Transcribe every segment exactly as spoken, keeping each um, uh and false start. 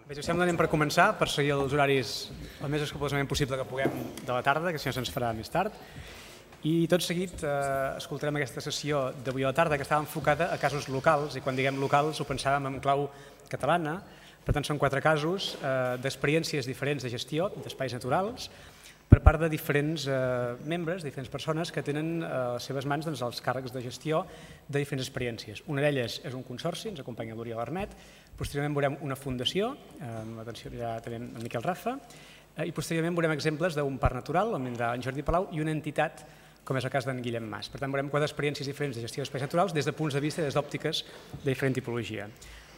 Bé, si us sembla, anem per començar, per seguir els horaris el més escrupolosament possible que puguem de la tarda, que si no se'ns farà més tard. I tot seguit eh, escoltarem aquesta sessió d'avui a la tarda que estava enfocada a casos locals, i quan diguem locals ho pensàvem en clau catalana. Per tant, són quatre casos eh, d'experiències diferents de gestió d'espais naturals per part de diferents eh, membres, diferents persones que tenen a les seves mans doncs, els càrrecs de gestió de diferents experiències. Una d'elles és un consorci, ens acompanya l'Oriol Armet, posteriorment veurem una fundació, amb l'atenció ja tenim en Miquel Rafa, i posteriorment veurem exemples d'un parc natural, on vindrà en Jordi Palau, i una entitat, com és el cas d'en Guillem Mas. Per tant, veurem quatre experiències diferents de gestió d'espais naturals des de punts de vista i des d'òptiques de diferent tipologia.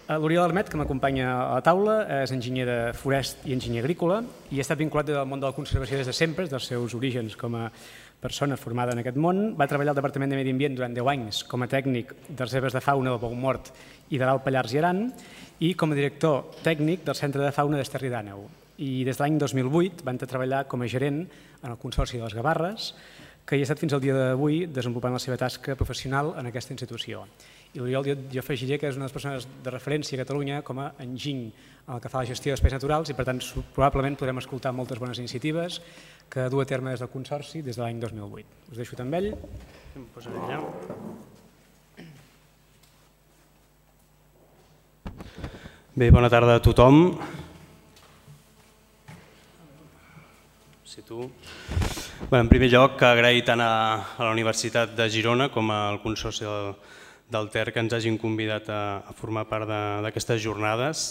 L'Oriol Armet, que m'acompanya a la taula, és enginyer de forest i enginyer agrícola i ha estat vinculat al món de la conservació des de sempre, dels seus orígens com a persona formada en aquest món. Va treballar al Departament de Medi Ambient durant deu anys com a tècnic de reserves de fauna del Boumort i de l'Alt Pallars i Aran i com a director tècnic del Centre de Fauna d'Esterri d'Àneu. I des de l'any dos mil vuit va treballar com a gerent en el Consorci de les Gavarres, que hi ha estat fins al dia d'avui desenvolupant la seva tasca professional en aquesta institució. I l'Oriol, jo, jo afegiré que és una de les persones de referència a Catalunya com a enginy en el que fa la gestió d'espais naturals i per tant probablement podrem escoltar moltes bones iniciatives que du a terme des del Consorci des de l'any dos mil vuit. Us deixo amb ell. Em posaré allà. Bé, bona tarda a tothom. Si tu... Bé, en primer lloc, agrair tant a, a la Universitat de Girona com al Consorci del, del Ter que ens hagin convidat a, a formar part d'aquestes jornades.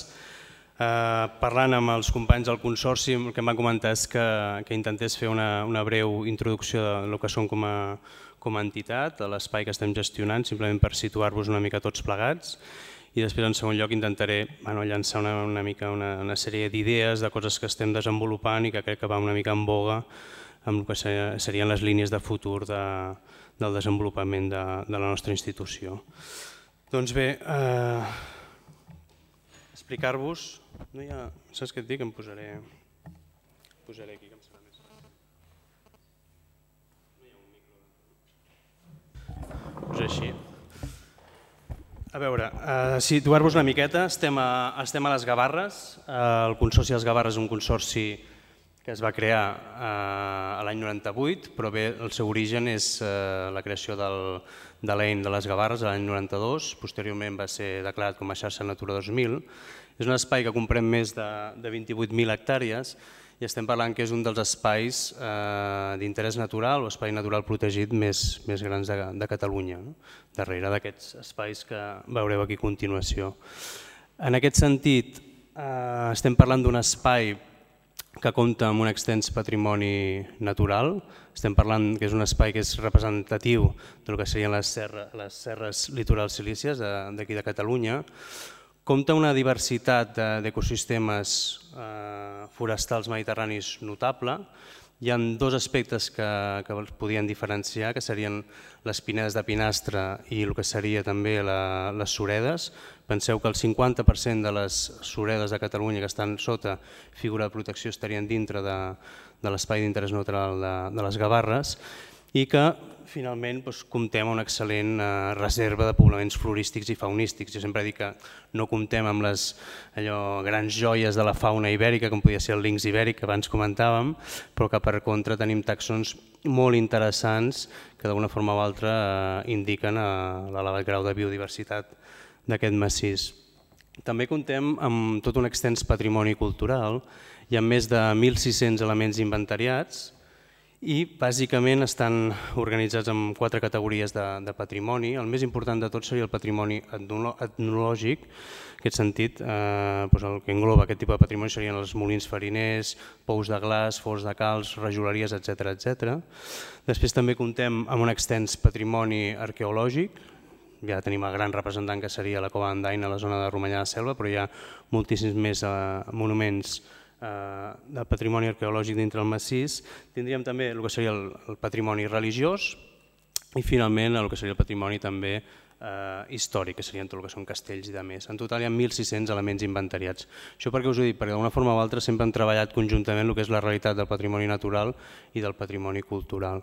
Eh, parlant amb els companys del Consorci, el que em van comentar és que, que intentés fer una, una breu introducció del que som com a, com a entitat, a l'espai que estem gestionant, simplement per situar-vos una mica tots plegats. I després, en segon lloc, intentaré bueno, llançar una, una mica una, una sèrie d'idees, de coses que estem desenvolupant i que crec que va una mica en boga amb el que serien les línies de futur de, del desenvolupament de, de la nostra institució. Doncs bé, eh, explicar-vos... No hi ha... Saps què et dic? Em posaré, posaré aquí, que em serà més... No hi ha un micro... Pues així. A veure, eh, situar-vos una miqueta, estem a, estem a les Gavarres. Eh, el Consorci de les Gavarres és un consorci que es va crear eh, l'any noranta-vuit, però bé, el seu origen és eh, la creació del, de l'E I N de les Gavarres l'any noranta-dos, posteriorment va ser declarat com a xarxa Natura dos mil. És un espai que comprèn més de, de vint-i-vuit mil hectàrees i estem parlant que és un dels espais eh, d'interès natural o espai natural protegit més, més grans de, de Catalunya, no? Darrere d'aquests espais que veureu aquí a continuació. En aquest sentit, eh, estem parlant d'un espai que compta amb un extens patrimoni natural. Estem parlant que és un espai que és representatiu del que serien les, serra, les serres litorals silícies d'aquí de Catalunya. Compta una diversitat d'ecosistemes eh, forestals mediterranis notable. Hi ha dos aspectes que, que els podien diferenciar, que serien les pinedes de pinastre i el que seria també la, les suredes. Penseu que el cinquanta per cent de les suredes de Catalunya que estan sota figura de protecció estarien dintre de, de l'espai d'interès natural de, de les Gavarres i que finalment doncs, comptem amb una excel·lent eh, reserva de poblaments florístics i faunístics. Jo sempre dic que no comptem amb les allò, grans joies de la fauna ibèrica, com podia ser el linx ibèric que abans comentàvem, però que per contra tenim tàxons molt interessants que d'alguna forma o altra eh, indiquen eh, l'elevat grau de biodiversitat d'aquest massís. També comptem amb tot un extens patrimoni cultural. Hi ha més de mil sis-cents elements inventariats i bàsicament estan organitzats en quatre categories de, de patrimoni. El més important de tot seria el patrimoni etnològic. En aquest sentit, eh, doncs el que engloba aquest tipus de patrimoni serien els molins fariners, pous de glaç, forns de calç, rajoleries, etcètera, etcètera. Després també comptem amb un extens patrimoni arqueològic. Ja tenim el gran representant que seria la Cova d'Andaina a la zona de Romanyà de Selva, però hi ha moltíssims més eh, monuments de patrimoni arqueològic dintre el massís. Tindríem també el que seria el, el patrimoni religiós i finalment el que seria el patrimoni també eh, històric, que serien tot el que són castells i de més. En total hi ha mil sis-cents elements inventariats. Això perquè us ho dic, perquè d'una forma o altra sempre hem treballat conjuntament el que és la realitat del patrimoni natural i del patrimoni cultural.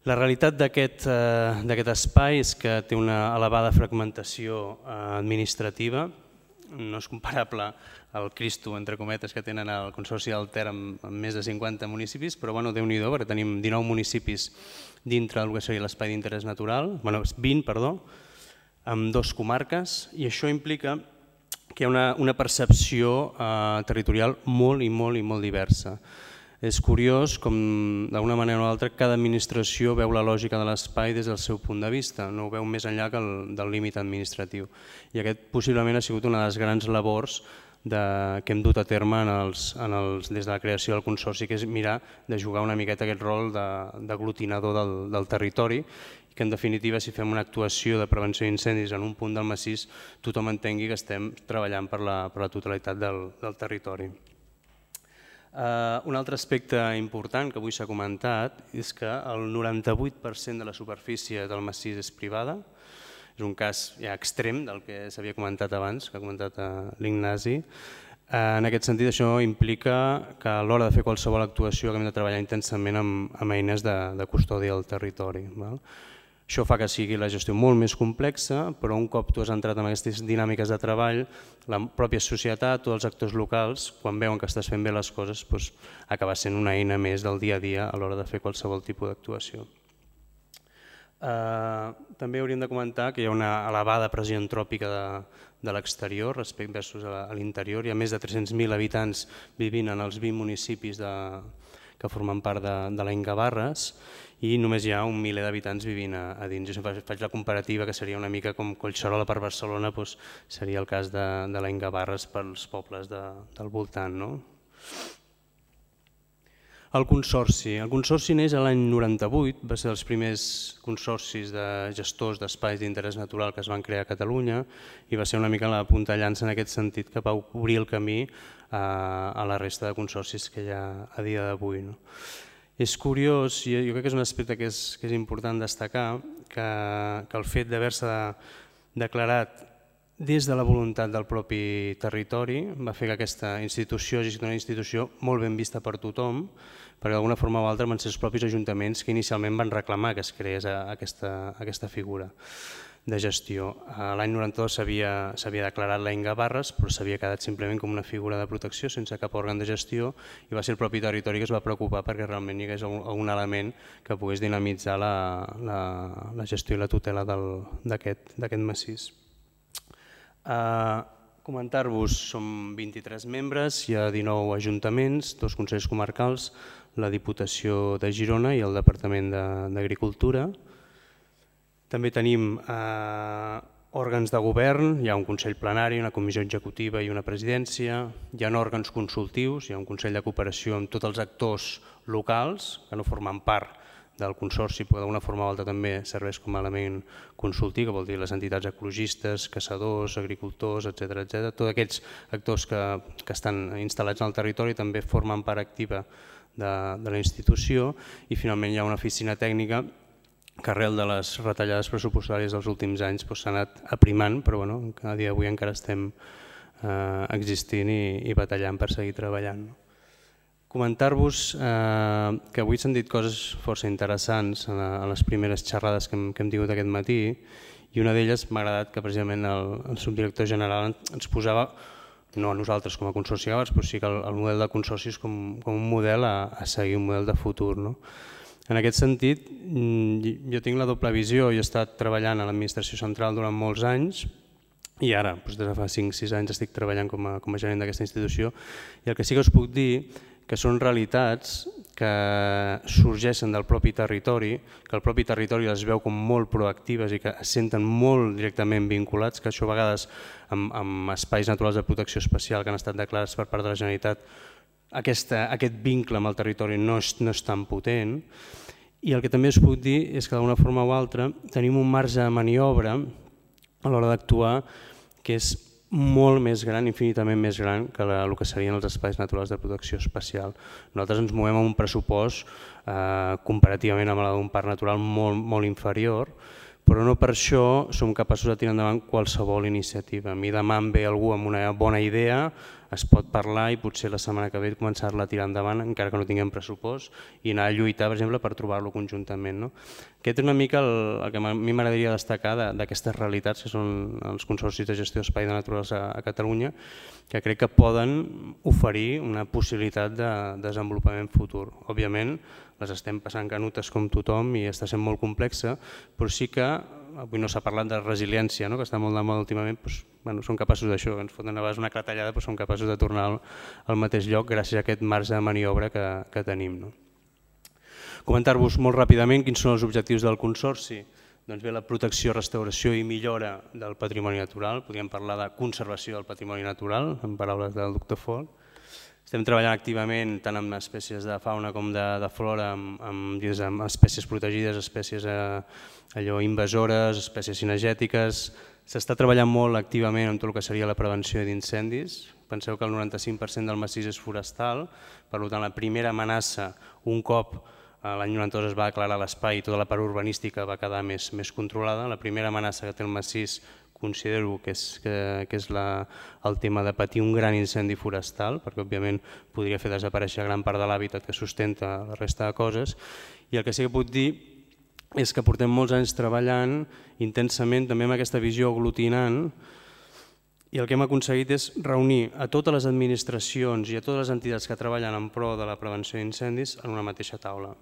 La realitat d'aquest eh, espai és que té una elevada fragmentació eh, administrativa. no és comparable al Cristo, entre cometes, que tenen el Consorci del Ter amb més de cinquanta municipis, però bueno, Déu-n'hi-do, perquè tenim dinou municipis dintre del que seria l'espai d'interès natural, bueno, vint, perdó, amb dos comarques, i això implica que hi ha una, una percepció eh, territorial molt i molt i molt diversa. És curiós com, d'una manera o altra, cada administració veu la lògica de l'espai des del seu punt de vista, no ho veu més enllà que el, del límit administratiu. I aquest possiblement ha sigut una de les grans labors de, que hem dut a terme en els, en els, des de la creació del Consorci, que és mirar de jugar una miqueta aquest rol d'aglutinador del, del territori, i que en definitiva, si fem una actuació de prevenció d'incendis en un punt del massís, tothom entengui que estem treballant per la, per la totalitat del, del territori. Uh, un altre aspecte important que avui s'ha comentat és que el noranta-vuit per cent de la superfície del massís és privada. És un cas ja extrem del que s'havia comentat abans, que ha comentat uh, l'Ignasi. Uh, en aquest sentit, això implica que a l'hora de fer qualsevol actuació hem de treballar intensament amb, amb eines de, de custòdia del territori. Val? Això fa que sigui la gestió molt més complexa, però un cop tu has entrat en aquestes dinàmiques de treball, la pròpia societat, tots els actors locals, quan veuen que estàs fent bé les coses, doncs, acaba sent una eina més del dia a dia a l'hora de fer qualsevol tipus d'actuació. Uh, també hauríem de comentar que hi ha una elevada pressió antròpica de, de l'exterior respecte versus a l'interior. Hi ha més de tres-cents mil habitants vivint en els vint municipis de, que formen part de, de l'Ain Gavarres, i només hi ha un miler d'habitants vivint a, a dins. Jo sempre faig la comparativa que seria una mica com Collserola per Barcelona, doncs seria el cas de, de l'Ain Gavarres pels pobles de, del voltant. No? El Consorci. El Consorci neix l'any noranta-vuit, va ser dels primers consorcis de gestors d'espais d'interès natural que es van crear a Catalunya i va ser una mica la punta de llança en aquest sentit que va obrir el camí a, a la resta de consorcis que hi ha a dia d'avui. No? És curiós, i jo crec que és un aspecte que és, que és important destacar, que, que el fet d'haver-se declarat des de la voluntat del propi territori va fer que aquesta institució hagi estat una institució molt ben vista per tothom, perquè d'alguna forma o altra van ser els propis ajuntaments que inicialment van reclamar que es creés aquesta, aquesta figura de gestió. L'any noranta-dos s'havia declarat l'Ain Gavarres, però s'havia quedat simplement com una figura de protecció sense cap òrgan de gestió i va ser el propi territori que es va preocupar perquè realment hi hagués algun element que pogués dinamitzar la, la, la gestió i la tutela d'aquest massís. Uh, Comentar-vos, som vint-i-tres membres, hi ha dinou ajuntaments, dos consells comarcals, la Diputació de Girona i el Departament d'Agricultura. També tenim eh, òrgans de govern, hi ha un Consell Plenari, una Comissió Executiva i una Presidència, hi ha òrgans consultius, hi ha un Consell de Cooperació amb tots els actors locals que no formen part del Consorci, però d'alguna forma o altra també serveix com a element consultiu, que vol dir les entitats ecologistes, caçadors, agricultors, etcètera, etcètera. Tots aquests actors que, que estan instal·lats en el territori també formen part activa de, de la institució i finalment hi ha una oficina tècnica que arrel de les retallades pressupostàries dels últims anys s'ha anat aprimant, però bueno, a dia d'avui encara estem eh, existint i, i batallant per seguir treballant. Comentar-vos eh, que avui s'han dit coses força interessants en, en les primeres xerrades que hem, que hem tingut aquest matí i una d'elles m'ha agradat que precisament el, el subdirector general ens posava, no a nosaltres com a Consorci Gavarres, però sí que el, el model de consorcis com, com un model a, a seguir, un model de futur. No? En aquest sentit, jo tinc la doble visió, jo he estat treballant a l'administració central durant molts anys i ara, des de fa cinc sis anys, estic treballant com a, com a gerent d'aquesta institució i el que sí que us puc dir que són realitats que sorgeixen del propi territori, que el propi territori les veu com molt proactives i que es senten molt directament vinculats, que això a vegades amb, amb espais naturals de protecció especial que han estat declarats per part de la Generalitat, Aquesta, aquest vincle amb el territori no és, no és tan potent i el que també us puc dir és que d'una forma o altra tenim un marge de maniobra a l'hora d'actuar que és molt més gran, infinitament més gran que la, el que serien els espais naturals de protecció especial. Nosaltres ens movem amb un pressupost eh, comparativament amb el d'un parc natural molt, molt inferior, però no per això som capaços de tirar endavant qualsevol iniciativa. A mi demà em ve algú amb una bona idea, es pot parlar i potser la setmana que ve començar-la a tirar endavant, encara que no tinguem pressupost, i anar a lluitar, per exemple, per trobar-lo conjuntament. Aquest és una mica el que a mi m'agradaria destacar d'aquestes realitats que són els consorcis de gestió d'espai de naturals a Catalunya, que crec que poden oferir una possibilitat de desenvolupament futur. Òbviament, les estem passant canutes com tothom i està sent molt complexa, però sí que, avui no s'ha parlat de resiliència, que està molt de moda últimament, som capaços d'això, ens foten a vegades una clatellada però som capaços de tornar al mateix lloc gràcies a aquest marge de maniobra que tenim. Comentar-vos molt ràpidament quins són els objectius del Consorci. Doncs bé, la protecció, restauració i millora del patrimoni natural, podríem parlar de conservació del patrimoni natural, en paraules del doctor Fol. Estem treballant activament tant amb espècies de fauna com de flora, amb espècies protegides, espècies invasores, espècies cinegètiques. S'està treballant molt activament en tot el que seria la prevenció d'incendis. Penseu que el noranta-cinc per cent del massís és forestal, per tant la primera amenaça, un cop l'any noranta-dos es va declarar l'espai i tota la part urbanística va quedar més controlada, la primera amenaça que té el massís considero que és el tema de patir un gran incendi forestal, perquè òbviament podria fer desaparèixer gran part de l'hàbitat que sustenta la resta de coses, i el que sí que puc dir és que portem molts anys treballant intensament també amb aquesta visió aglutinant, i el que hem aconseguit és reunir a totes les administracions i a totes les entitats que treballen en pro de la prevenció d'incendis en una mateixa taula.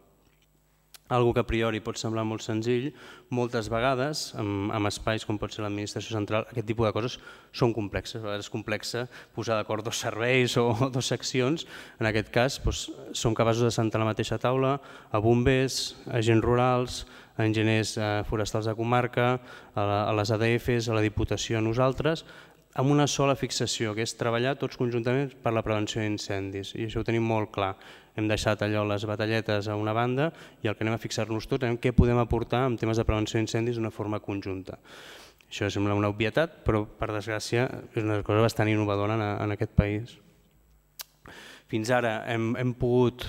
Algo que a priori pot semblar molt senzill, moltes vegades, en espais com pot ser l'administració central, aquest tipus de coses són complexes. A vegades és complexa posar d'acord dos serveis o dues seccions. En aquest cas, som capaços de sentar a la mateixa taula a bombers, a agents rurals, a enginyers forestals de comarca, a les A D Fs, a la Diputació, a nosaltres, amb una sola fixació, que és treballar tots conjuntament per la prevenció d'incendis. I això ho tenim molt clar. Hem deixat allò les batalletes a una banda i el que anem a fixar-nos tots és què podem aportar en temes de prevenció d'incendis d'una forma conjunta. Això sembla una obvietat, però per desgràcia és una cosa bastant innovadora en aquest país. Fins ara hem pogut,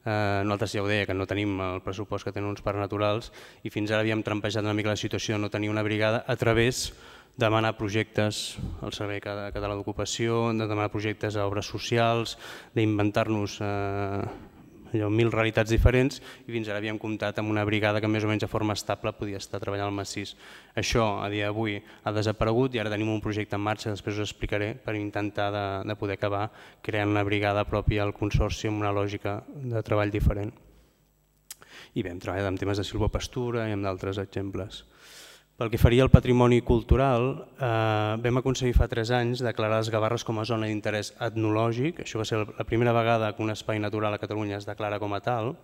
nosaltres ja ho deia, que no tenim el pressupost que tenen uns parcs naturals, i fins ara havíem trampejat una mica la situació de no tenir una brigada a través de demanar projectes al Servei Català d'Ocupació, de demanar projectes a obres socials, d'inventar-nos mil realitats diferents, i fins ara havíem comptat amb una brigada que més o menys de forma estable podia estar treballant al massís. Això a dia d'avui ha desaparegut i ara tenim un projecte en marxa, després us explicaré, per intentar de poder acabar creant una brigada pròpia al Consorci amb una lògica de treball diferent. I bé, hem treballat en temes de silvopastura i amb d'altres exemples. Pel que faria al patrimoni cultural, vam aconseguir fa tres anys declarar les Gavarres com a zona d'interès etnològic. Això va ser la primera vegada que un espai natural a Catalunya es declara com a tal,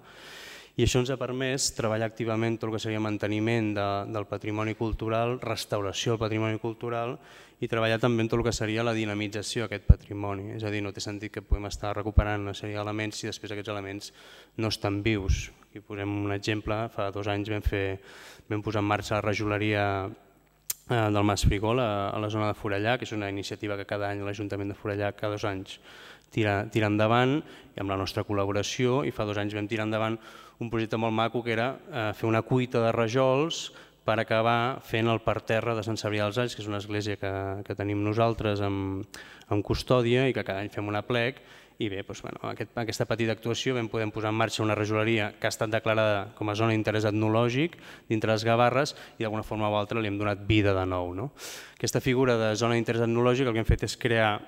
i això ens ha permès treballar activament tot el que seria manteniment del patrimoni cultural, restauració del patrimoni cultural i treballar també en tot el que seria la dinamització d'aquest patrimoni. És a dir, no té sentit que puguem estar recuperant una sèrie d'elements si després aquests elements no estan vius. Aquí posem un exemple, fa dos anys vam fer vam posar en marxa la rajoleria del Mas Frigol a la zona de Forellà, que és una iniciativa que cada any l'Ajuntament de Forellà cada dos anys tira endavant i amb la nostra col·laboració, i fa dos anys vam tirar endavant un projecte molt maco que era fer una cuita de rajols per acabar fent el parterre de Sant Cebrià dels Alls, que és una església que tenim nosaltres en custòdia i que cada any fem un aplec. I bé, aquesta petita actuació vam poder posar en marxa una rajoleria que ha estat declarada com a zona d'interès etnològic dintre les Gavarres i d'alguna forma o altra li hem donat vida de nou. Aquesta figura de zona d'interès etnològic el que hem fet és crear,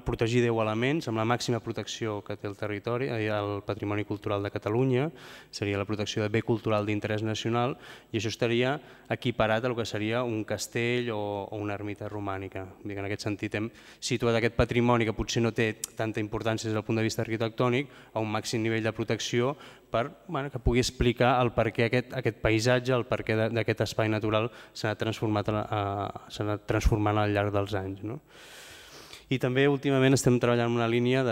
protegir deu elements amb la màxima protecció que té el territori, el patrimoni cultural de Catalunya, seria la protecció de bé cultural d'interès nacional, i això estaria equiparat al que seria un castell o una ermita romànica. En aquest sentit hem situat aquest patrimoni que potser no té tanta importància des del punt de vista arquitectònic a un màxim nivell de protecció que pugui explicar el per què aquest paisatge, el per què d'aquest espai natural s'ha anat transformant al llarg dels anys. I també últimament estem treballant en una línia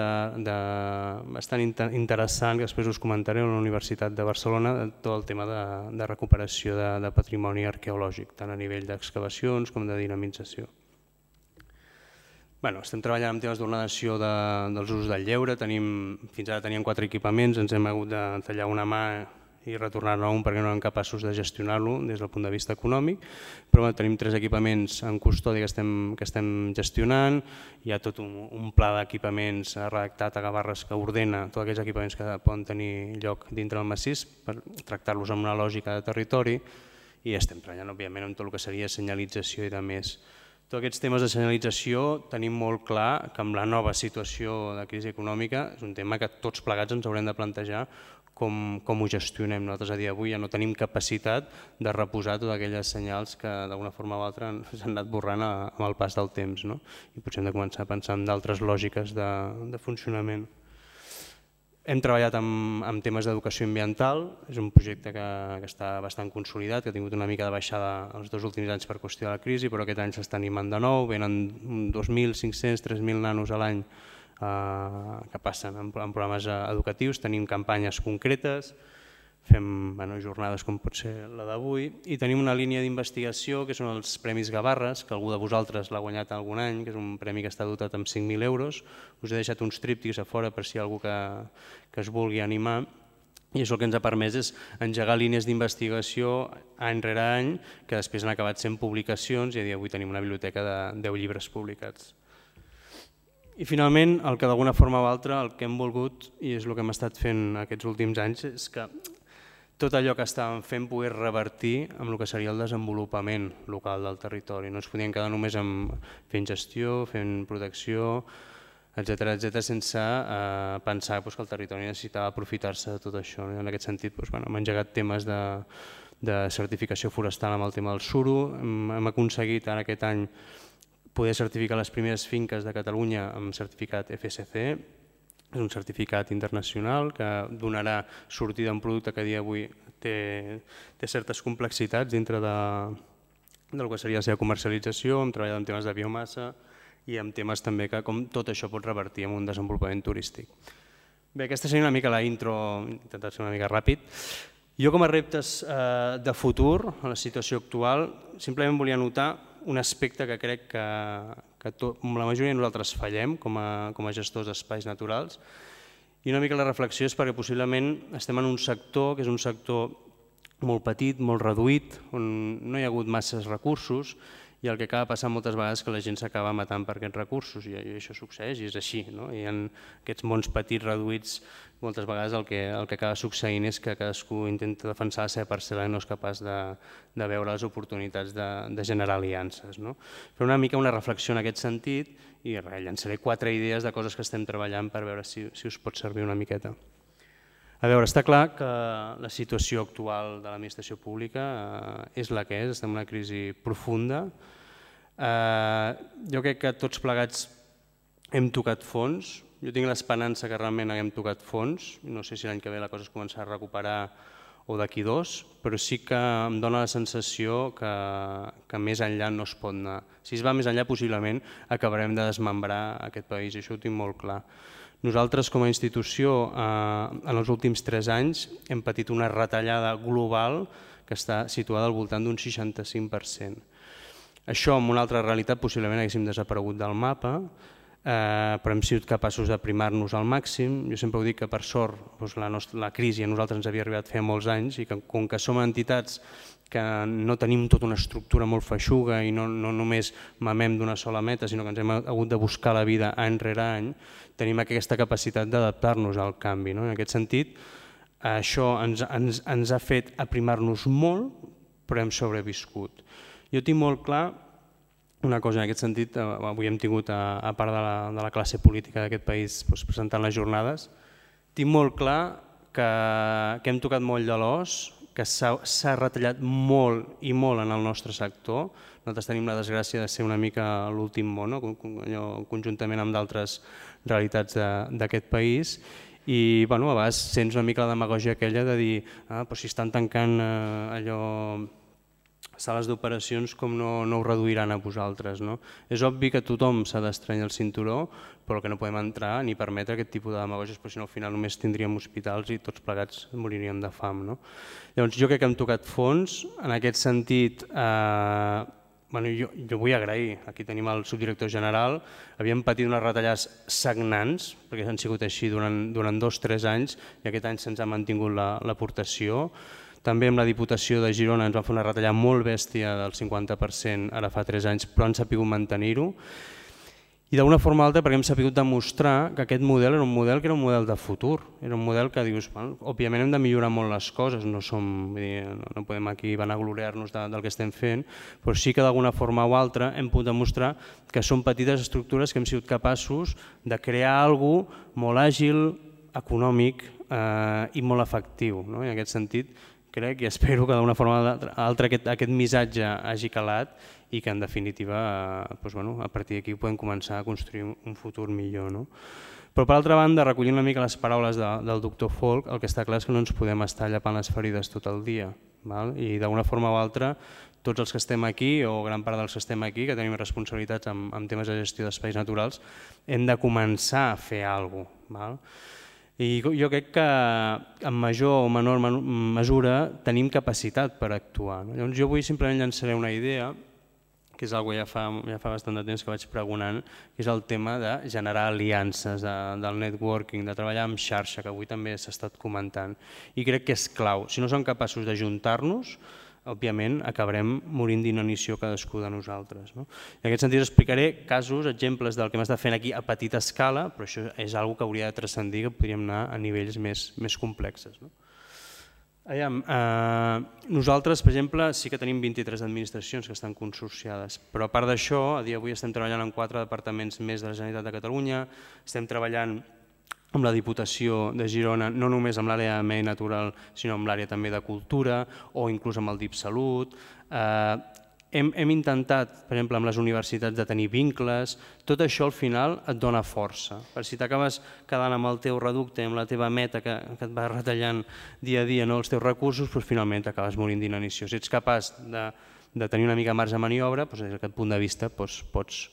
bastant interessant, que després us comentaré, a la Universitat de Barcelona, tot el tema de recuperació de patrimoni arqueològic, tant a nivell d'excavacions com de dinamització. Estem treballant en temes d'ordenació dels usos del lleure, fins ara teníem quatre equipaments, ens hem hagut de tallar una mà i retornar-ne un perquè no eren capaços de gestionar-lo des del punt de vista econòmic, però bueno, tenim tres equipaments en custòdia que estem, que estem gestionant, hi ha tot un, un pla d'equipaments redactat a Gavarres que ordena tots aquells equipaments que poden tenir lloc dintre del massís per tractar-los amb una lògica de territori i estem treballant òbviament en tot el que seria senyalització i de més. Tots aquests temes de senyalització tenim molt clar que amb la nova situació de crisi econòmica és un tema que tots plegats ens haurem de plantejar com, com ho gestionem. Nosaltres a dia d'avui ja no tenim capacitat de reposar totes aquelles senyals que d'alguna forma o altra s'han anat borrant amb el pas del temps, no? I potser hem de començar a pensar en d'altres lògiques de, de funcionament. Hem treballat amb, amb temes d'educació ambiental, és un projecte que, que està bastant consolidat, que ha tingut una mica de baixada els dos últims anys per qüestió de la crisi, però aquest any s'està animant de nou, venen dos mil cinc-cents a tres mil nanos a l'any eh, que passen en, en programes educatius, tenim campanyes concretes, fem bueno, jornades com pot ser la d'avui i tenim una línia d'investigació que són els Premis Gavarres, que algú de vosaltres l'ha guanyat algun any, que és un premi que està dotat amb cinc mil euros. Us he deixat uns tríptics a fora per si hi ha algú que, que es vulgui animar i això el que ens ha permès és engegar línies d'investigació any rere any que després han acabat sent publicacions i a dia d'avui tenim una biblioteca de deu llibres publicats. I finalment, el que d'alguna forma o altra el que hem volgut, i és el que hem estat fent aquests últims anys, és que tot allò que estàvem fent pogués revertir amb el que seria el desenvolupament local del territori. No ens podíem quedar només fent gestió, fent protecció, etcètera, etcètera, sense eh, pensar doncs, que el territori necessitava aprofitar-se de tot això. En aquest sentit, doncs, bueno, hem engegat temes de, de certificació forestal amb el tema del suro, hem, hem aconseguit ara aquest any poder certificar les primeres finques de Catalunya amb certificat F S C. És un certificat internacional que donarà sortida a un producte que a dia d'avui té, té certes complexitats dintre de, del que seria la seva comercialització. Hem treballat en temes de biomassa i en temes també que com tot això pot revertir en un desenvolupament turístic. Bé, aquesta seria una mica la intro, he intentat ser una mica ràpid. Jo com a reptes eh, de futur, a la situació actual, simplement volia notar un aspecte que crec que, que tot, la majoria de nosaltres fallem com a, com a gestors d'espais naturals i una mica la reflexió és perquè possiblement estem en un sector que és un sector molt petit, molt reduït, on no hi ha hagut masses recursos i el que acaba passant moltes vegades és que la gent s'acaba matant per aquests recursos i això succeeix i és així. No? Hi ha aquests mons petits, reduïts, moltes vegades el que, el que acaba succeint és que cadascú intenta defensar la seva parcel·la i no és capaç de, de veure les oportunitats de, de generar aliances. No? Però una mica una reflexió en aquest sentit i res, llançaré quatre idees de coses que estem treballant per veure si, si us pot servir una miqueta. A veure, està clar que la situació actual de l'administració pública és la que és, estem en una crisi profunda. Jo crec que tots plegats hem tocat fons, jo tinc l'esperança que realment haguem tocat fons, no sé si l'any que ve la cosa es començarà a recuperar o d'aquí dos, però sí que em dóna la sensació que, que més enllà no es pot anar. Si es va més enllà, possiblement acabarem de desmembrar aquest país, i això ho tinc molt clar. Nosaltres, com a institució, en els últims tres anys hem patit una retallada global que està situada al voltant d'un seixanta-cinc per cent. Això, en una altra realitat, possiblement haguéssim desaparegut del mapa, però hem sigut capaços d'aprimar-nos al màxim. Jo sempre ho dic que, per sort, la crisi a nosaltres ens havia arribat fa molts anys i que, com que som entitats que no tenim tota una estructura molt feixuga i no, no només mamem d'una sola meta, sinó que ens hem hagut de buscar la vida any rere any, tenim aquesta capacitat d'adaptar-nos al canvi. No? En aquest sentit, això ens, ens, ens ha fet aprimar-nos molt, però hem sobreviscut. Jo tinc molt clar una cosa en aquest sentit, avui hem tingut, a, a part de la, de la classe política d'aquest país doncs, presentant les jornades, tinc molt clar que, que hem tocat molt de l'os, que s'ha retallat molt i molt en el nostre sector. Nosaltres tenim la desgràcia de ser una mica l'últim món, no? Conjuntament amb d'altres realitats d'aquest país. I bueno, a vegades sents una mica la demagògia aquella de dir ah, però si estan tancant eh, allò sales d'operacions com no, no ho reduiran a vosaltres. No? És obvi que tothom s'ha d'estrenyar el cinturó, però que no podem entrar ni permetre aquest tipus de demagògies, perquè si no al final només tindríem hospitals i tots plegats moriríem de fam. No? Llavors jo crec que hem tocat fons, en aquest sentit eh, jo vull agrair, aquí tenim el subdirector general, havíem patit unes retallades sagnants, perquè han sigut així durant dos o tres anys i aquest any se'ns ha mantingut l'aportació. També amb la Diputació de Girona ens van fer una retallada molt bèstia del cinquanta per cent ara fa tres anys, però han sabut mantenir-ho. I d'una forma o altra perquè hem sabut demostrar que aquest model era un model que era un model de futur, era un model que dius, òbviament hem de millorar molt les coses, no podem aquí vanagloriar-nos del que estem fent, però sí que d'alguna forma o altra hem pogut demostrar que són petites estructures que hem sigut capaços de crear alguna cosa molt àgil, econòmic i molt efectiu. En aquest sentit, crec i espero que d'una forma o altra aquest missatge hagi calat i que en definitiva a partir d'aquí podem començar a construir un futur millor. Però per altra banda, recollint una mica les paraules del doctor Folch, el que està clar és que no ens podem estar llapant les ferides tot el dia i d'una forma o altra tots els que estem aquí o gran part dels que estem aquí, que tenim responsabilitats en temes de gestió d'espais naturals, hem de començar a fer alguna cosa. I jo crec que en major o menor mesura tenim capacitat per actuar. Llavors jo avui simplement llançaré una idea, que és una cosa que ja fa bastant de temps que vaig pregonant, que és el tema de generar aliances, del networking, de treballar en xarxa, que avui també s'ha estat comentant. I crec que és clau. Si no som capaços d'ajuntar-nos, òbviament acabarem morint d'inanició cadascú de nosaltres. En aquest sentit explicaré casos, exemples del que hem estat fent aquí a petita escala, però això és una cosa que hauria de transcendir, que podríem anar a nivells més complexes. Nosaltres, per exemple, sí que tenim vint-i-tres administracions que estan consorciades, però a part d'això, a dia d'avui estem treballant en quatre departaments més de la Generalitat de Catalunya, estem treballant amb la Diputació de Girona, no només amb l'àrea de medi natural, sinó amb l'àrea també de cultura o inclús amb el DipSalut. Hem intentat, per exemple, amb les universitats de tenir vincles, tot això al final et dona força. Per si t'acabes quedant amb el teu reducte, amb la teva meta que et va retallant dia a dia els teus recursos, finalment t'acabes morint d'inanició. Si ets capaç de tenir una mica marge de maniobra, des d'aquest punt de vista pots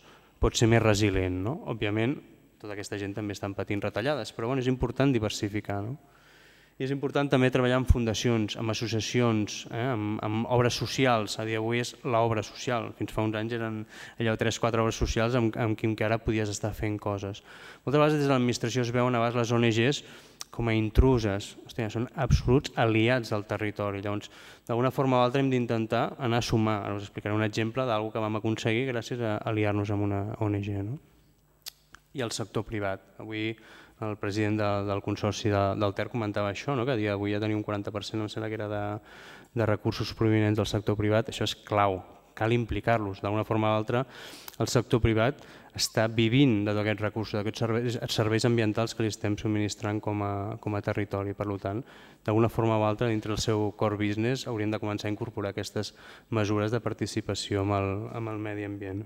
ser més resilient. Òbviament, tota aquesta gent també estan patint retallades, però és important diversificar. I és important també treballar en fundacions, en associacions, en obres socials. A dia d'avui és l'obra social. Fins fa uns anys eren allò tres o quatre obres socials amb qui encara podies estar fent coses. Moltes vegades des de l'administració es veuen a vegades les O N Ges com a intruses, són absoluts aliats del territori. Llavors, d'alguna forma o altra hem d'intentar anar a sumar. Ara us explicaré un exemple d'alguna cosa que vam aconseguir gràcies a aliar-nos amb una O N G. I el sector privat. Avui el president del Consorci del Ter comentava això, que a dia d'avui ja tenia un quaranta per cent, em sembla que era de recursos provinents del sector privat. Això és clau, cal implicar-los. D'alguna forma o altra, el sector privat està vivint de tots aquests recursos, d'aquests serveis ambientals que li estem subministrant com a territori. Per tant, d'alguna forma o altra, dintre del seu core business, haurien de començar a incorporar aquestes mesures de participació amb el medi ambient.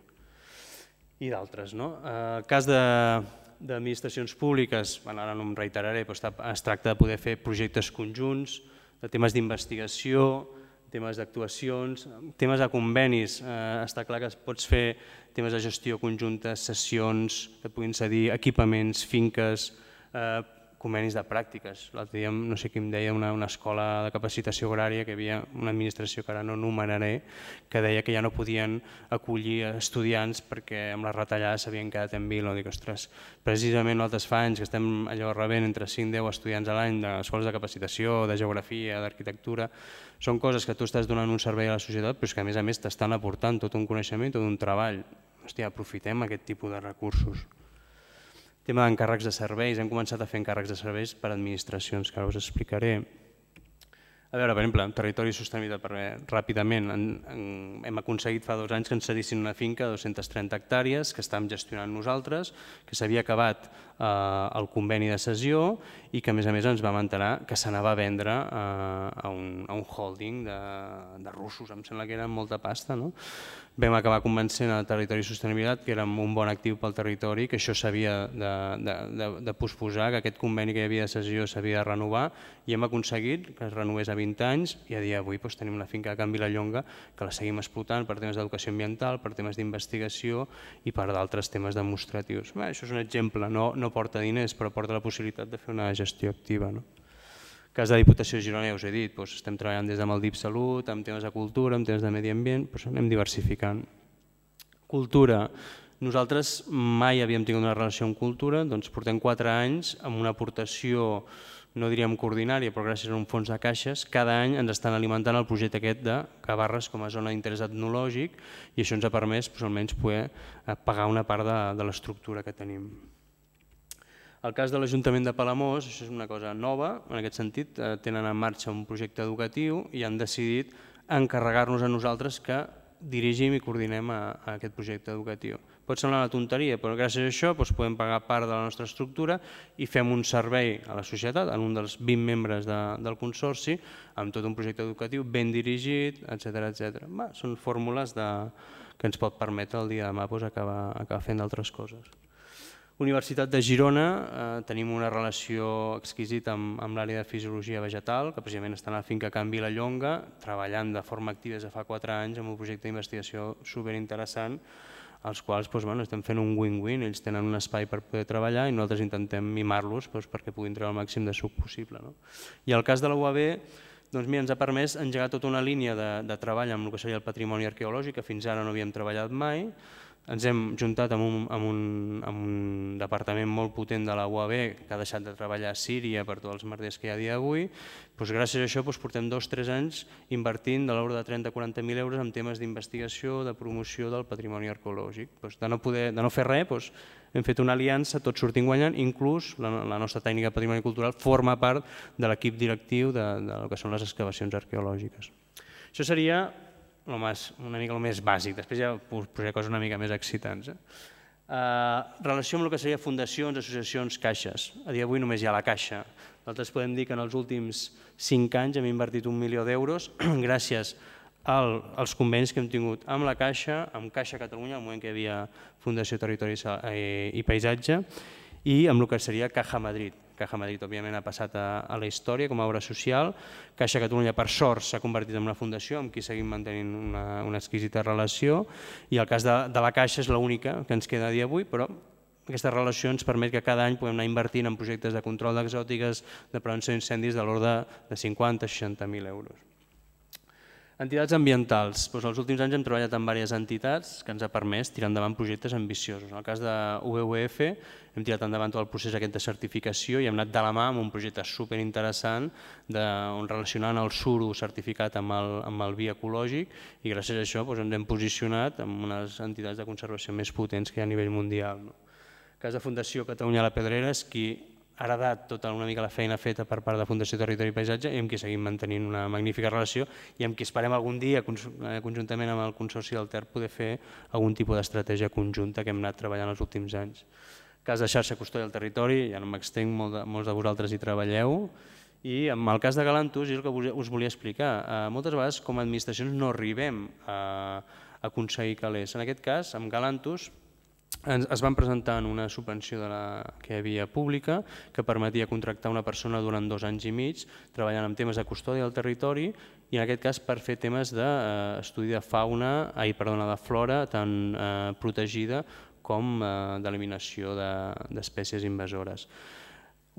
I d'altres. El cas d'administracions públiques, ara no em reiteraré, però es tracta de poder fer projectes conjunts, de temes d'investigació, temes d'actuacions, temes de convenis. Està clar que pots fer temes de gestió conjunta, sessions que et puguin cedir, equipaments, finques, convenis de pràctiques. L'altre dia no sé qui em deia, una escola de capacitació agrària, que hi havia una administració que ara no enumeraré, que deia que ja no podien acollir estudiants perquè amb les retallades s'havien quedat en vila. Dic, ostres, precisament nosaltres fa anys que estem allò rebent entre cinc i deu estudiants a l'any d'escoles de capacitació, de geografia, d'arquitectura. Són coses que tu estàs donant un servei a la societat, però que a més a més t'estan aportant tot un coneixement, tot un treball. Hòstia, aprofitem aquest tipus de recursos. Tema d'encàrrecs de serveis, hem començat a fer encàrrecs de serveis per a administracions, que ara us explicaré. A veure, per exemple, en territori i sostenibilitat, ràpidament, hem aconseguit fa dos anys que ens cedissin una finca de dues-centes trenta hectàrees que estàvem gestionant nosaltres, que s'havia acabat el conveni de cessió i que a més a més ens vam enterar que s'anava a vendre a un holding de russos, em sembla que era molta pasta. Vam acabar convencent el territori i sostenibilitat que era un bon actiu pel territori, que això s'havia de posposar, que aquest conveni que hi havia de cessió s'havia de renovar, i hem aconseguit que es renovés a vint anys i a dia d'avui tenim la finca de Can Vilallonga que la seguim explotant per temes d'educació ambiental, per temes d'investigació i per d'altres temes demostratius. Això és un exemple, no porta diners però porta la possibilitat de fer una gestió activa. En el cas de la Diputació de Girona, ja us he dit, estem treballant des del DipSalut, amb temes de cultura, amb temes de medi ambient, anem diversificant. Cultura. Nosaltres mai havíem tingut una relació amb cultura, doncs portem quatre anys amb una aportació, no diríem coordinària, però gràcies a un fons de caixes, cada any ens estan alimentant el projecte aquest de Gavarres com a zona d'interès etnològic i això ens ha permès almenys poder pagar una part de l'estructura que tenim. El cas de l'Ajuntament de Palamós, això és una cosa nova, en aquest sentit, tenen en marxa un projecte educatiu i han decidit encarregar-nos a nosaltres que dirigim i coordinem aquest projecte educatiu. Pot semblar una tonteria, però gràcies a això podem pagar part de la nostra estructura i fem un servei a la societat, en un dels vint membres del consorci, amb tot un projecte educatiu ben dirigit, etcètera. Són fórmules que ens pot permetre el dia de demà acabar fent d'altres coses. Universitat de Girona, tenim una relació exquisita amb l'àrea de fisiologia vegetal, que precisament està a la finca Can Vilallonga, treballant de forma activa des de fa quatre anys amb un projecte d'investigació superinteressant, als quals estem fent un win-win, ells tenen un espai per poder treballar i nosaltres intentem mimar-los perquè puguin treure el màxim de suc possible. I el cas de la U A B ens ha permès engegar tota una línia de treball amb el que seria el patrimoni arqueològic, que fins ara no havíem treballat mai. Ens hem juntat amb un departament molt potent de la U A B que ha deixat de treballar a Síria per tots els merders que hi ha a dia d'avui. Gràcies a això portem dos o tres anys invertint de l'ordre de trenta a quaranta mil euros en temes d'investigació, de promoció del patrimoni arqueològic. De no fer res, hem fet una aliança, tots sortim guanyant, inclús la nostra tècnica de patrimoni cultural forma part de l'equip directiu del que són les excavacions arqueològiques. Això seria una mica el més bàsic, després ja us posaré coses una mica més excitants. Relació amb el que seria fundacions, associacions, caixes. A dia d'avui només hi ha la caixa. Nosaltres podem dir que en els últims cinc anys hem invertit un milió d'euros gràcies als convenis que hem tingut amb la Caixa, amb Caixa Catalunya, al moment que hi havia Fundació Territori i Paisatge, i amb el que seria Caja Madrid. Caja Madrid, òbviament, ha passat a la història com a obra social. Caixa Catalunya, per sort, s'ha convertit en una fundació amb qui seguim mantenint una exquisita relació i el cas de la Caixa és l'única que ens queda a dia d'avui, però aquesta relació ens permet que cada any puguem anar invertint en projectes de control d'exòtiques, de prevenció d'incendis de l'ordre de cinquanta a seixanta mil euros. Entitats ambientals. Els últims anys hem treballat amb diverses entitats que ens ha permès tirar endavant projectes ambiciosos. En el cas de U B U F hem tirat endavant tot el procés aquest de certificació i hem anat de la mà amb un projecte superinteressant on relacionant el suro certificat amb el vi ecològic i gràcies a això ens hem posicionat amb unes entitats de conservació més potents que hi ha a nivell mundial. El cas de Fundació Catalunya La Pedrera és qui ha heredat tota una mica la feina feta per part de Fundació Territori i Paisatge i amb qui seguim mantenint una magnífica relació i amb qui esperem algun dia, conjuntament amb el Consorci del Ter, poder fer algun tipus d'estratègia conjunta que hem anat treballant els últims anys. El cas de Xarxa Custòdia del Territori, ja no m'extenc, molts de vosaltres hi treballeu, i amb el cas de Galantus és el que us volia explicar. Moltes vegades com a administracions no arribem a aconseguir calés. En aquest cas, amb Galantus, es van presentar en una subvenció que hi havia pública que permetia contractar una persona durant dos anys i mig treballant en temes de custòdia del territori i en aquest cas per fer temes d'estudi de fauna, ai, perdona, de flora tant protegida com d'eliminació d'espècies invasores.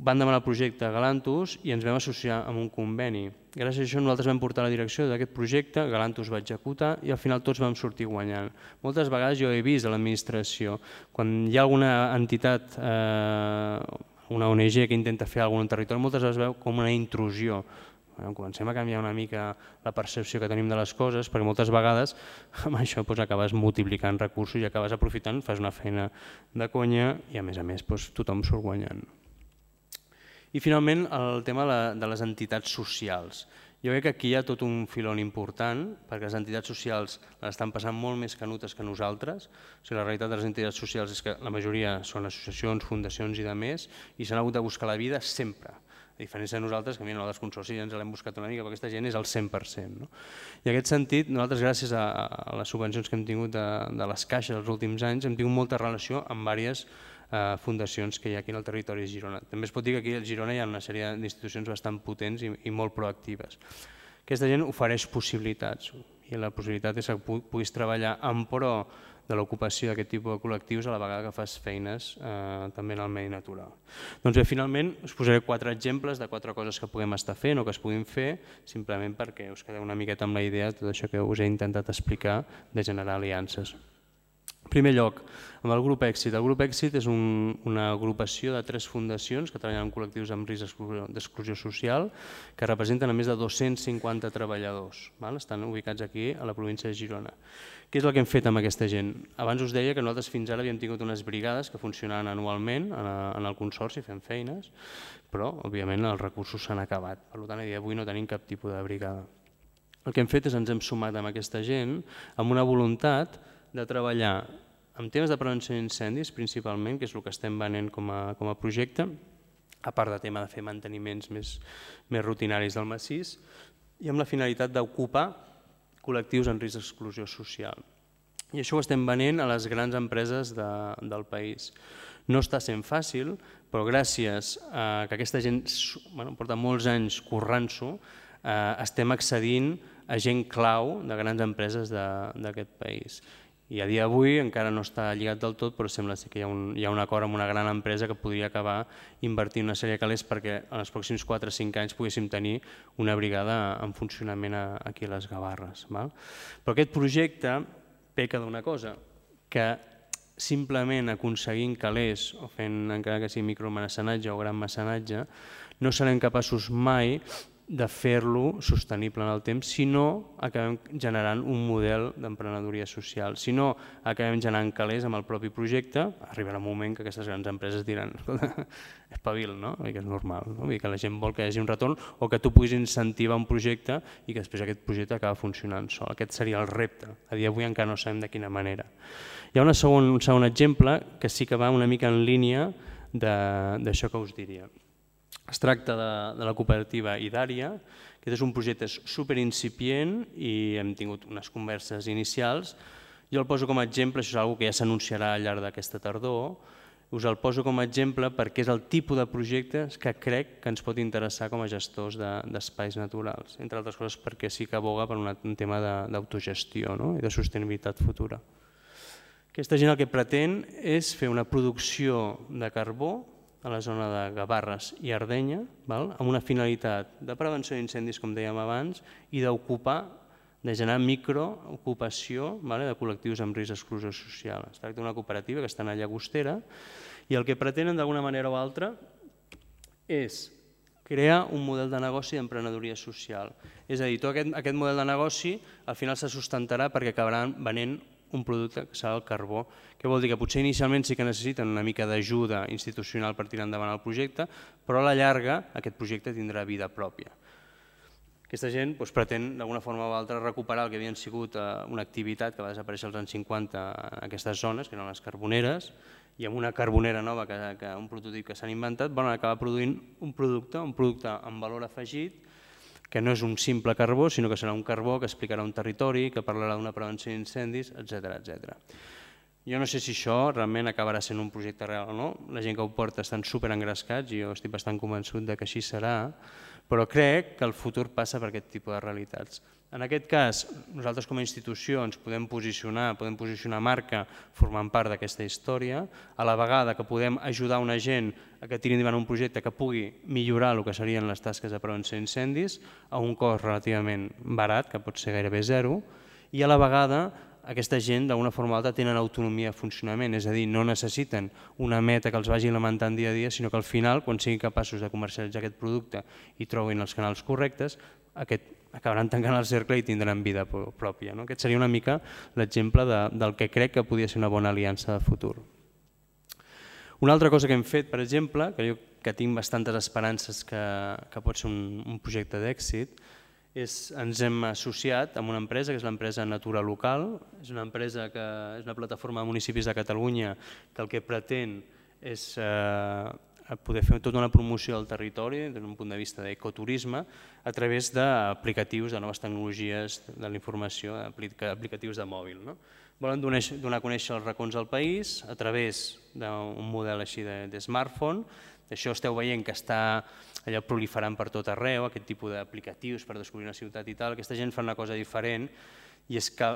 Van demanar el projecte a Galantus i ens vam associar amb un conveni. Gràcies a això nosaltres vam portar la direcció d'aquest projecte, Galantus va executar i al final tots vam sortir guanyant. Moltes vegades jo he vist a l'administració, quan hi ha alguna entitat, una O N G que intenta fer alguna cosa en un territori, moltes vegades veu com una intrusió. Comencem a canviar una mica la percepció que tenim de les coses, perquè moltes vegades amb això acabes multiplicant recursos i acabes aprofitant, fas una feina de conya i a més a més tothom surt guanyant. I finalment el tema de les entitats socials. Jo crec que aquí hi ha tot un filon important perquè les entitats socials l'estan passant molt més canutes que nosaltres. La realitat de les entitats socials és que la majoria són associacions, fundacions i demés i s'han hagut de buscar la vida sempre. A diferència de nosaltres, que a nosaltres consorcis ja ens l'hem buscat una mica, però aquesta gent és el cent per cent. I en aquest sentit, nosaltres gràcies a les subvencions que hem tingut de les caixes els últims anys hem tingut molta relació amb diverses fundacions que hi ha aquí en el territori de Girona. També es pot dir que aquí a Girona hi ha una sèrie d'institucions bastant potents i molt proactives. Aquesta gent ofereix possibilitats i la possibilitat és que puguis treballar en pro de l'ocupació d'aquest tipus de col·lectius a la vegada que fas feines també en el medi natural. Doncs bé, finalment us posaré quatre exemples de quatre coses que puguem estar fent o que es puguin fer simplement perquè us quedeu una miqueta amb la idea de tot això que us he intentat explicar de generar aliances. En primer lloc, amb el grup Èxit. El grup Èxit és una agrupació de tres fundacions que treballen en col·lectius amb risc d'exclusió social que representen a més de dos-cents cinquanta treballadors. Estan ubicats aquí a la província de Girona. Què és el que hem fet amb aquesta gent? Abans us deia que nosaltres fins ara havíem tingut unes brigades que funcionaven anualment en el consorci fent feines, però òbviament els recursos s'han acabat. Per tant, a dia d'avui no tenim cap tipus de brigada. El que hem fet és ens hem sumat amb aquesta gent amb una voluntat de treballar en temes de prevenció d'incendis principalment, que és el que estem venent com a projecte, a part de tema de fer manteniments més rutinaris del massís, i amb la finalitat d'ocupar col·lectius en risc d'exclusió social. I això ho estem venent a les grans empreses del país. No està sent fàcil, però gràcies a que aquesta gent porta molts anys currant-s'ho, estem accedint a gent clau de grans empreses d'aquest país. I a dia d'avui encara no està lligat del tot, però sembla que hi ha un acord amb una gran empresa que podria acabar invertint una sèrie de calés perquè en els pròxims quatre o cinc anys poguéssim tenir una brigada en funcionament aquí a les Gavarres. Però aquest projecte peca d'una cosa, que simplement aconseguint calés o fent encara que sigui micromecenatge o gran mecenatge, no serem capaços mai de fer-lo sostenible en el temps si no acabem generant un model d'emprenedoria social. Si no acabem generant calés amb el propi projecte, arribarà un moment que aquestes grans empreses diran espavil, no? Que és normal, que la gent vol que hi hagi un retorn o que tu puguis incentivar un projecte i que després aquest projecte acaba funcionant sol. Aquest seria el repte. A dia d'avui encara no sabem de quina manera. Hi ha un segon exemple que sí que va una mica en línia d'això que us diria. Es tracta de la cooperativa Idària. Aquest és un projecte superincipient i hem tingut unes converses inicials. Jo el poso com a exemple, això és una cosa que ja s'anunciarà al llarg d'aquesta tardor, us el poso com a exemple perquè és el tipus de projectes que crec que ens pot interessar com a gestors d'espais naturals, entre altres coses perquè sí que aboga per un tema d'autogestió i de sostenibilitat futura. Aquesta gent el que pretén és fer una producció de carbó a la zona de Gavarres i Ardenya, amb una finalitat de prevenció d'incendis, com dèiem abans, i d'ocupar, de generar microocupació de col·lectius amb risc d'exclusió social. Es tracta d'una cooperativa que està a Llagostera i el que pretenen d'alguna manera o altra és crear un model de negoci d'emprenedoria social. És a dir, tot aquest model de negoci al final se sustentarà perquè acabaran venent un producte que serà el carbó, que vol dir que potser inicialment sí que necessiten una mica d'ajuda institucional per tirar endavant el projecte, però a la llarga aquest projecte tindrà vida pròpia. Aquesta gent pretén d'alguna forma o altra recuperar el que havien sigut una activitat que va desaparèixer als anys cinquanta en aquestes zones, que eren les carboneres, i amb una carbonera nova, un prototip que s'han inventat, van acabar produint un producte, un producte amb valor afegit, que no és un simple carbó, sinó que serà un carbó que explicarà un territori, que parlarà d'una prevenció d'incendis, etcètera. Jo no sé si això realment acabarà sent un projecte real o no, la gent que ho porta estan superengrescats i jo estic bastant convençut que així serà, però crec que el futur passa per aquest tipus de realitats. En aquest cas, nosaltres com a institució ens podem posicionar, podem posicionar marca formant part d'aquesta història, a la vegada que podem ajudar una gent a que tiri endavant un projecte que pugui millorar el que serien les tasques de prevenció d'incendis a un cost relativament barat, que pot ser gairebé zero, i a la vegada aquesta gent d'alguna forma o altra tenen autonomia de funcionament, és a dir, no necessiten una meta que els vagi alimentant dia a dia, sinó que al final, quan siguin capaços de comercialitzar aquest producte i trobin els canals correctes, acabaran tancant el cercle i tindran vida pròpia. Aquest seria una mica l'exemple del que crec que podria ser una bona aliança de futur. Una altra cosa que hem fet, per exemple, que jo que tinc bastantes esperances que pot ser un projecte d'èxit, ens hem associat amb una empresa, que és l'empresa Natura Local. És una empresa que és una plataforma de municipis de Catalunya que el que pretén és poder fer tota una promoció del territori des d'un punt de vista d'ecoturisme a través d'aplicatius de noves tecnologies de la informació, aplicatius de mòbil. Volen donar a conèixer els racons del país a través d'un model així de smartphone. Això esteu veient que està allò proliferant per tot arreu, aquest tipus d'aplicatius per descobrir una ciutat i tal. Aquesta gent fa una cosa diferent i és que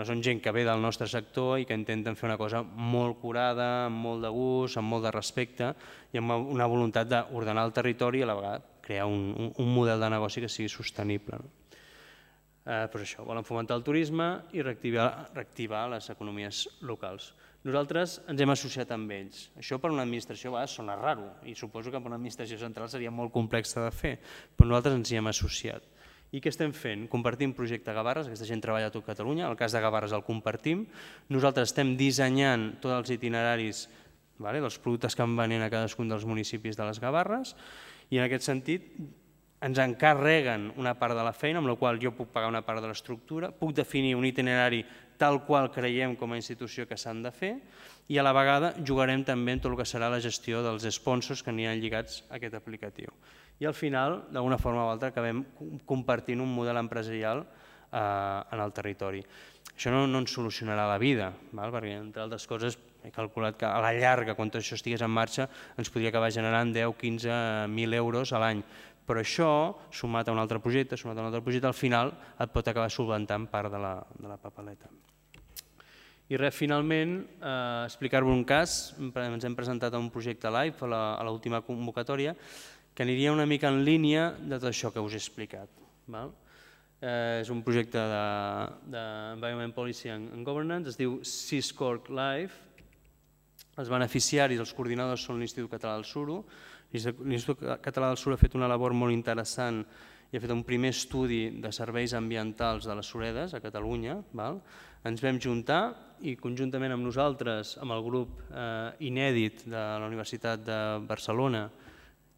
són gent que ve del nostre sector i que intenten fer una cosa molt curada, amb molt de gust, amb molt de respecte i amb una voluntat d'ordenar el territori i a la vegada crear un model de negoci que sigui sostenible. Doncs això, volen fomentar el turisme i reactivar les economies locals. Nosaltres ens hem associat amb ells. Això per una administració a vegades sona raro i suposo que per una administració central seria molt complex de fer, però nosaltres ens hi hem associat. I què estem fent? Compartim projecte Gavarres, aquesta gent treballa a tot Catalunya, el cas de Gavarres el compartim. Nosaltres estem dissenyant tots els itineraris dels productes que van venent a cadascun dels municipis de les Gavarres i en aquest sentit ens encarreguen una part de la feina, amb la qual jo puc pagar una part de l'estructura, puc definir un itinerari tal qual creiem com a institució que s'han de fer i a la vegada jugarem també en tot el que serà la gestió dels sponsors que aniran lligats a aquest aplicatiu. I al final, d'alguna forma o altra, acabem compartint un model empresarial en el territori. Això no ens solucionarà la vida, perquè entre altres coses he calculat que a la llarga, quan tot això estigués en marxa, ens podria acabar generant deu a quinze mil euros a l'any. Però això, sumat a un altre projecte, sumat a un altre projecte, al final et pot acabar solventant part de la papeleta. I res, finalment, explicar-vos un cas, ens hem presentat a un projecte live a l'última convocatòria, que aniria una mica en línia de tot això que us he explicat. És un projecte d'Environment Policy and Governance, es diu Seascorc Live. Els beneficiaris, els coordinadors són l'Institut Català del Suro. L'Institut Català del Suro ha fet una labor molt interessant i ha fet un primer estudi de serveis ambientals de les suredes a Catalunya. Ens vam juntar i conjuntament amb nosaltres, amb el grup inèdit de la Universitat de Barcelona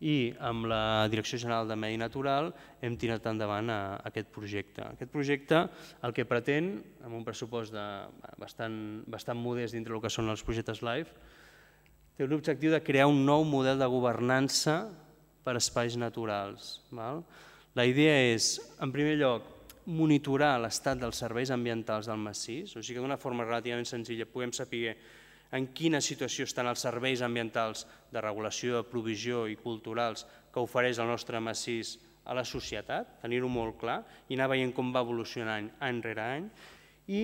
i amb la Direcció General de Medi Natural hem tirat endavant aquest projecte. Aquest projecte el que pretén, amb un pressupost bastant modest dintre del que són els projectes live, té l'objectiu de crear un nou model de governança per a espais naturals. La idea és, en primer lloc, monitorar l'estat dels serveis ambientals del massís, o sigui que d'una forma relativament senzilla puguem saber en quina situació estan els serveis ambientals de regulació, de provisió i culturals que ofereix el nostre massís a la societat, tenir-ho molt clar i anar veient com va evolucionant any rere any i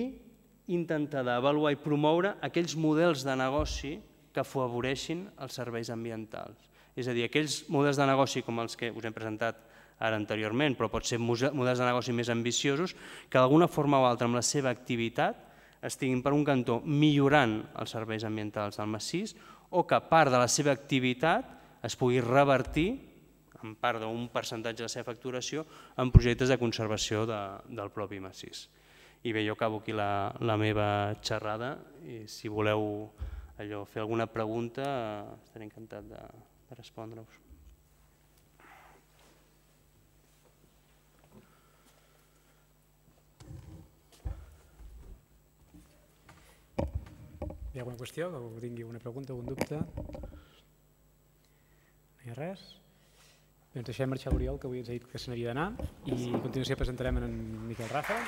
intentar avaluar i promoure aquells models de negoci que afavoreixin els serveis ambientals. És a dir, aquells models de negoci com els que us hem presentat ara anteriorment, però pot ser models de negoci més ambiciosos, que d'alguna forma o altra amb la seva activitat estiguin per un cantó millorant els serveis ambientals del massís o que part de la seva activitat es pugui revertir en part d'un percentatge de la seva facturació en projectes de conservació del propi massís. I bé, jo acabo aquí la meva xerrada i si voleu fer alguna pregunta estaré encantat de respondre-us. Hi ha alguna qüestió, que algú tingui alguna pregunta, algun dubte? No hi ha res? Bé, ens deixem marxar l'Oriol, que avui ens ha dit que se n'havia d'anar, i a continuació presentarem en Miquel Rafa.